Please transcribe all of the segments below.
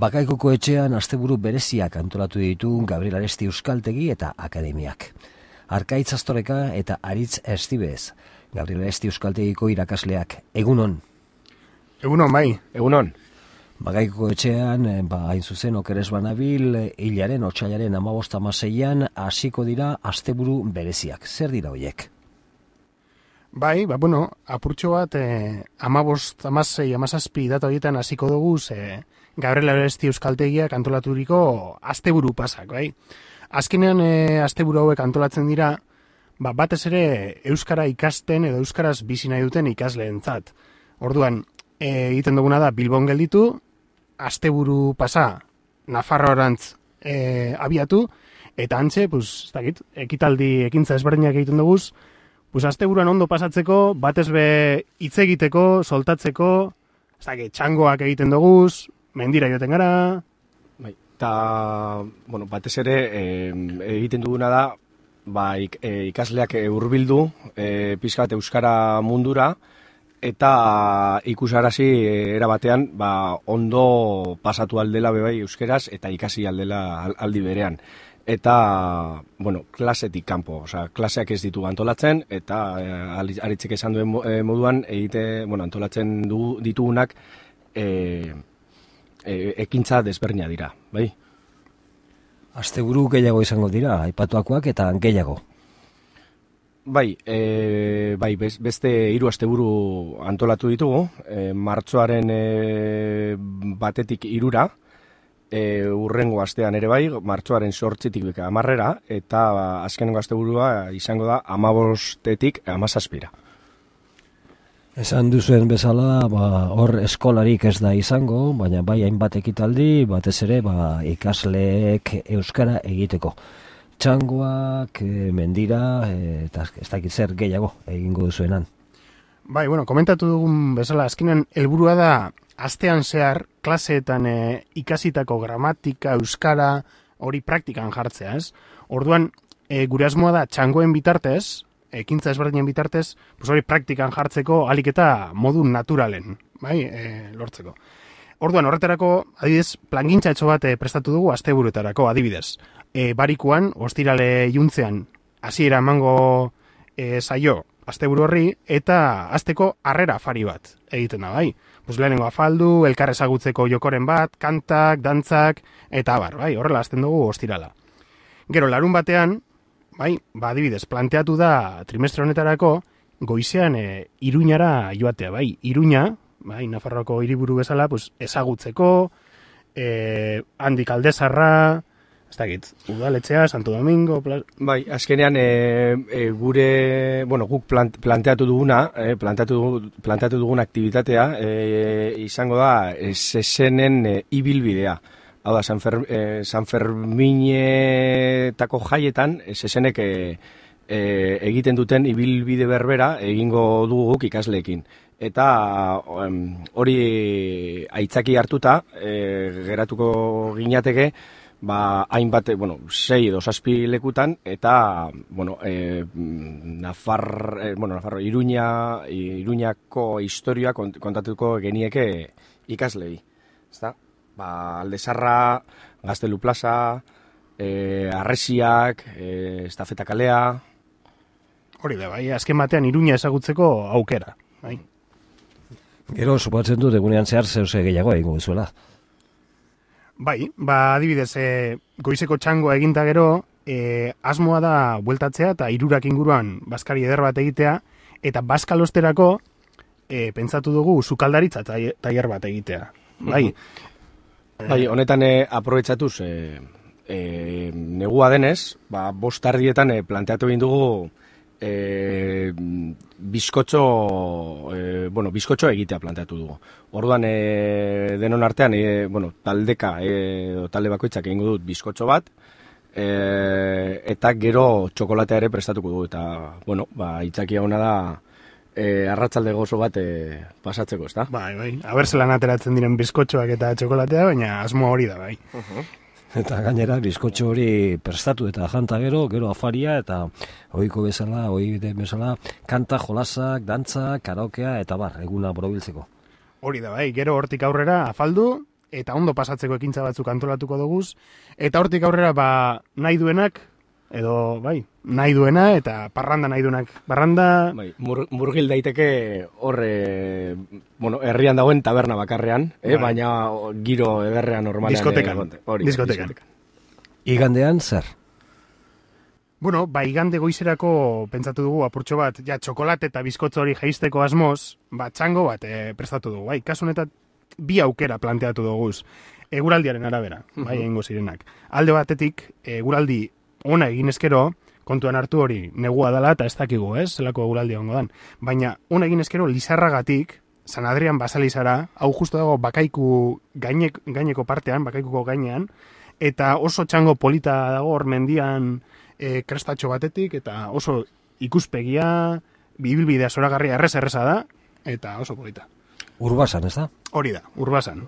Bakaikoko etxean asteburu bereziak antolatu ditu Gabriel Aresti Euskaltegi eta Akademiak. Arkaitz Astoreka eta Aritz Estibez, Gabriel Aresti Euskaltegiko irakasleak. Egunon? Egunon, bai. Egunon. Bakaikoko etxean, hain zuzen okeres banabil, hilaren, otsailaren 15-16an hasiko dira asteburu bereziak. Zer dira horiek? Bai, apurtxo bat, 15, 16, 17 data horietan hasiko dugu, Gabriel Aresti Euskaltegiak antolaturiko asteburu pasak, bai. Azkenean asteburu hauek antolatzen dira, batez ere euskara ikasten edo euskaraz bizi nahi duten ikasleentzat. Orduan, egiten duguna da Bilbon gelditu, asteburu pasa Nafarroarantz abiatu, eta antxe, ekintza ezberdinak egiten dugu, asteburuan ondo pasatzeko, batez be hitz egiteko, soltatzeko, txangoak egiten dugu, mendira joten gara. Bai, eta, batez ere egiten duguna da, ikasleak hurbildu pixka bat euskara mundura, eta ikusarazi erabatean ondo pasatu aldela bebai euskeraz eta ikasi aldela aldi berean. Eta, klasetik kanpo, klaseak ez ditu antolatzen, eta Aritzek esan duen moduan, antolatzen ditugunak ekintza desberdina dira, bai? Asteburu gehiago izango dira, aipatuakoak eta gehiago. Bai, beste 3 asteburu antolatu ditugu, martxoaren 1-tik 3-ra, urrengo astean ere bai, martxoaren 8-tik 10-ra, eta azkenengo asteburua izango da 15-tik 17-ra. Esan duzuen bezala, hor eskolarik ez da izango, baina bai hainbat ekitaldi, batez ere ikasleek euskara egiteko. Txangoak, mendira, eta ez dakit zer gehiago egingo duzuenan. Bai, komentatu dugun bezala, azkenean helburua da astean zehar klaseetan ikasitako gramatika, euskara, hori praktikan jartzea, ez? Orduan, gure asmoa da txangoen bitartez, ekintza ezberdinen bitartez, hori praktikan jartzeko ahalik eta modu naturalen, lortzeko. Orduan, horretarako, adibidez, plangintza etxo bat prestatu dugu asteburuetarako, adibidez. Barikuan, ostirale iluntzean, hasiera emango saio asteburu horri, eta hasteko harrera afari bat egiten da, bai. Lehenengo afaldu, elkar ezagutzeko jokoren bat, kantak, dantzak, eta horrela hasten dugu ostirala. Gero, larun batean, adibidez, planteatu da trimestre honetarako, goizean Iruñara joatea, Iruña, Nafarroako hiriburu bezala, ezagutzeko, handik Aldezarra, ez dakit, Udaletxea, Santo Domingo... azkenean guk planteatu dugun aktibitatea izango da sesenen ibilbidea. Hau da, San Ferminetako jaietan sesenek egiten duten ibilbide berbera egingo dugu guk ikasleekin. Eta hori aitzaki hartuta geratuko ginateke, hainbat, 6 edo 7 lekutan, eta, Nafarro, Iruñako historia kontatuko genieke ikaslei. Ezta? Aldezarra, Gaztelu plaza, Arresiak, Estafeta kalea... Hori da, azken batean Iruña ezagutzeko aukera, Gero, supatzen dut, egunean zehar zehose gehiago egingo duzuela. Adibidez, goizeko txangoa eginta gero, asmoa da bueltatzea eta 3 inguruan bazkari eder bat egitea, eta bazkalosterako pentsatu dugu sukaldaritza tailer bat egitea. Honetan aprobetxatuz, negua denez, 5:00 planteatu egin dugu bizkotxo egitea planteatu dugu. Orduan, denon artean, taldeka, talde bakoitzak egingo dut bizkotxo bat, eta gero txokolatea ere prestatuko dugu, eta, itzakia hona da, arratzalde gozo bat pasatzeko, ez da? Aber zelan ateratzen diren bizkotxoak eta txokolatea, baina asmoa hori da, Eta gainera, bizkotxo hori prestatu eta janta gero afaria, eta ohiko bezala, kanta, jolasak, dantza, karaokea, eta eguna borobiltzeko. Hori da, gero hortik aurrera afaldu, eta ondo pasatzeko ekintza batzuk antolatuko duguz, eta hortik aurrera nahi duenak, edo nahi duena eta parranda nahi duenak. Parranda... Murgil daiteke hor, herrian dagoen taberna bakarrean, baina giro ederrean normalean. Diskotekan. Igandean zer? Bueno, igande goizerako pentsatu dugu apurtxo bat, txokolate eta bizkotzo hori jaisteko asmoz, txango bat prestatu dugu. Kasu honetan 2 aukera planteatu duguz, eguraldiaren arabera, egingo zirenak. Alde batetik, eguraldi ona egin eskero, kontuan hartu hori negua dela eta ez dakigu, zelako eguraldia ongo dan. Baina ona egin eskero Lizarragatik, San Adrian Basalizara, hau justo dago bakaiku gaineko partean, bakaikuko gainean, eta oso txango polita dago hor mendian krestatxo batetik, eta oso ikuspegia, bibilbidea zoragarria erreza da, eta oso polita. Urbasan, ez da? Hori da, Urbasan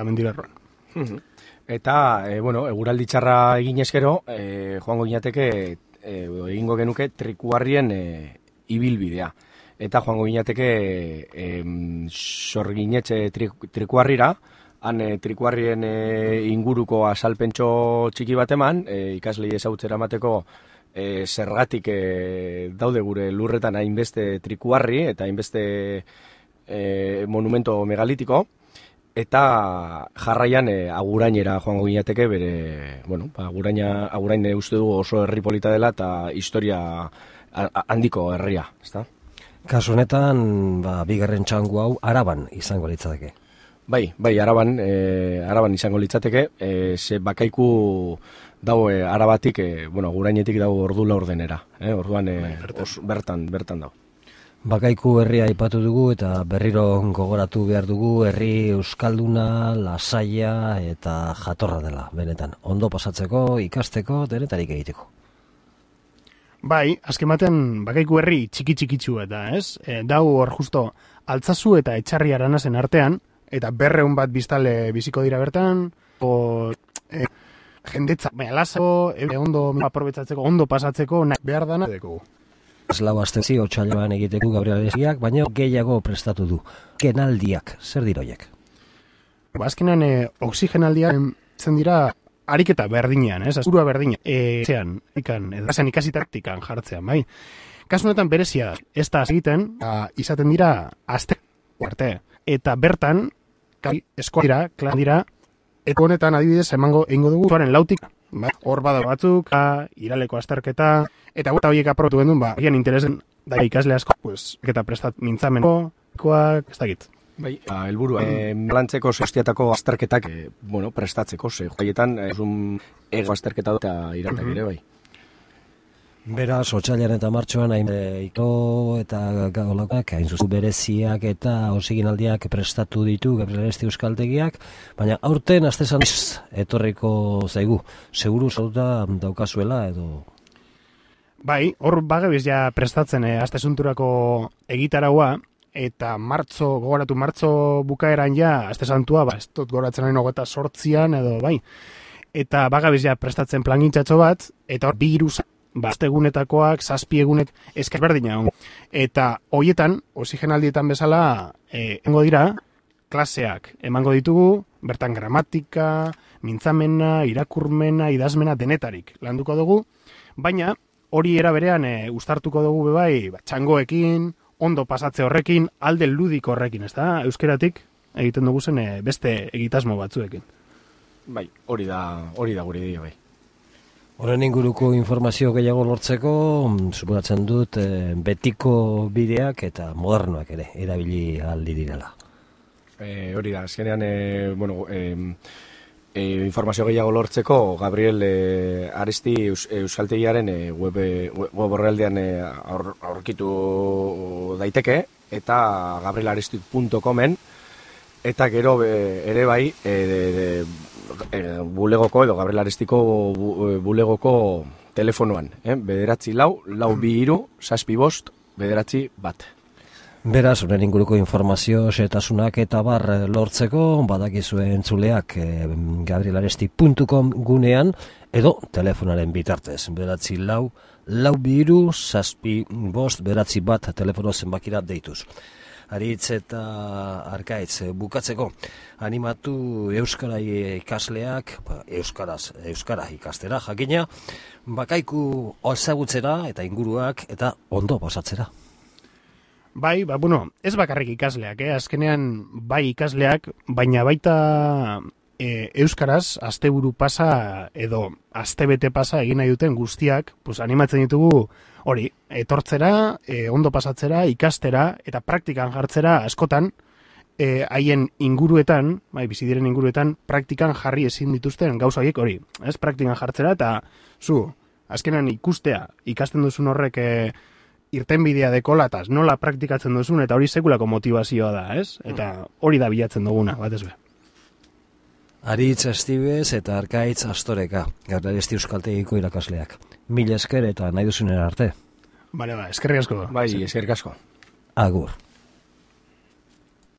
mendilerroan. Eta, eguraldi txarra egin eskero, joango ginateke, egingo genuke trikuarrien ibilbidea. Eta joango ginateke sorginetxe trikuarrira, han trikuarrien inguruko asalpentxo txiki bat eman, ikaslei ezagutzera emateko zergatik daude gure lurretan hainbeste trikuarri eta hainbeste monumento megalitiko, eta jarraian Agurainera joango ginateke bere, Agurain uste dugu oso herri polita dela eta historia handiko herria, ezta? Kasu honetan, bigarren txangu hau Araban izango litzateke. Bai, Araban izango litzateke, ze bakaiku dago Arabatik, Agurainetik dago ordu laurdenera, orduan bertan dago. Bakaiku herria aipatu dugu eta berriro gogoratu behar dugu herri euskalduna, lasaia eta jatorra dela, benetan. Ondo pasatzeko, ikasteko, denetarik egiteko. Azken batean bakaiku herri txiki-txikitsu eta, dau hor justo Altzazu eta Etxarri Aranasen artean, eta 200 bat biztale biziko dira bertan, jendetza, lasako, ondo aprobetzatzeko, ondo pasatzeko, behar dana dekogu. Lau astezi otsailean egiteko Gabriel Arestiak, baina gehiago prestatu du. Kenaldiak, zer diroiek? Azkenan oxigenaldiak zen dira ariketa berdinean, azurua berdina. Edan ikasitaktikan jartzean, bai. Kasu honetan berezia ez da egiten, izaten dira aste arte. Eta bertan, eskola dira, klan dira, eta honetan adibidez egingo dugu zuaren lautik, hor bada batzuk, iraleko azterketa, eta gota horiek aprobatu gendun, gian interesen da ikasle asko, eta prestat mintzameneko, ez dakit. Bai, helburua, lantzeko sostiatako azterketak, prestatzeko, joaietan, ego azterketa eta iratak ere, bai. Beraz, otsailaren eta martxoan iko eta gaulakoak, hain zuzu bereziak eta osiginaldiak prestatu ditu Gabriel Aresti euskaltegiak, baina aurten astezan etorriko zaigu, seguru zauta daukazuela edo... Bai, hor bagabiz ja prestatzen astesunturako egitaraua, eta gogoratu martzo bukaeran ja, astesantua, ez dut goratzen nahi 28an edo, bai. Eta bagabiz ja prestatzen plangintxatxo bat, eta hor 2 hiru astegunetakoak, 7 egunek berdina. Eta hoietan, oxigenaldietan bezala, emango dira, klaseak emango ditugu, bertan gramatika, mintzamena, irakurmena, idazmena, denetarik landuko dugu, baina hori era berean uztartuko dugu bebai, txangoekin, ondo pasatze horrekin, alde ludiko horrekin, ez da? Euskeratik egiten dugu zen beste egitasmo batzuekin. Bai, hori da gure dira, bai. Horren inguruko informazio gehiago lortzeko, suposatzen dut betiko bideak eta modernoak ere erabili aldi direla. Hori da, azkenean, informazio gehiago lortzeko, Gabriel Aresti euskaltegiaren web horrealdean aurkitu daiteke, eta gabrielaresti.comen, eta gero ere bai, bulegoko edo Gabriel Arestiko bulegoko telefonoan, 944-223-751. Beraz, horren inguruko informazio, setasunak eta bar lortzeko, badakizue entzuleak Gabriel Aresti.com gunean, edo telefonaren bitartez, 944-223-751 telefono zenbakira deituz. Aritz eta Arkaitz, bukatzeko, animatu euskara ikasleak, euskara ikastera jakina, bakaiku ezagutzera eta inguruak eta ondo pasatzera. Bai, ez bakarrik ikasleak, azkenean bai ikasleak, baina baita euskaraz asteburu pasa edo astebete pasa egin nahi duten guztiak, animatzen ditugu hori, etortzera, ondo pasatzera, ikastera eta praktikan jartzera askotan haien inguruetan, bai, bizi diren inguruetan, praktikan jarri ezin dituzten gauza horiek hori, ez, praktikan jartzera eta azkenan ikustea, ikasten duzun horrek irtenbidea dekolataz, nola praktikatzen duzun eta hori sekulako motivazioa da, ez? Eta hori da bilatzen duguna, batez be. Aritz Estibez eta Arkaitz Astoreka, Garraiesti Euskaltegiko irakasleak. Mila esker eta nahi duzunen arte. Bale, eskerrik asko. Bai, eskerrik asko. Agur.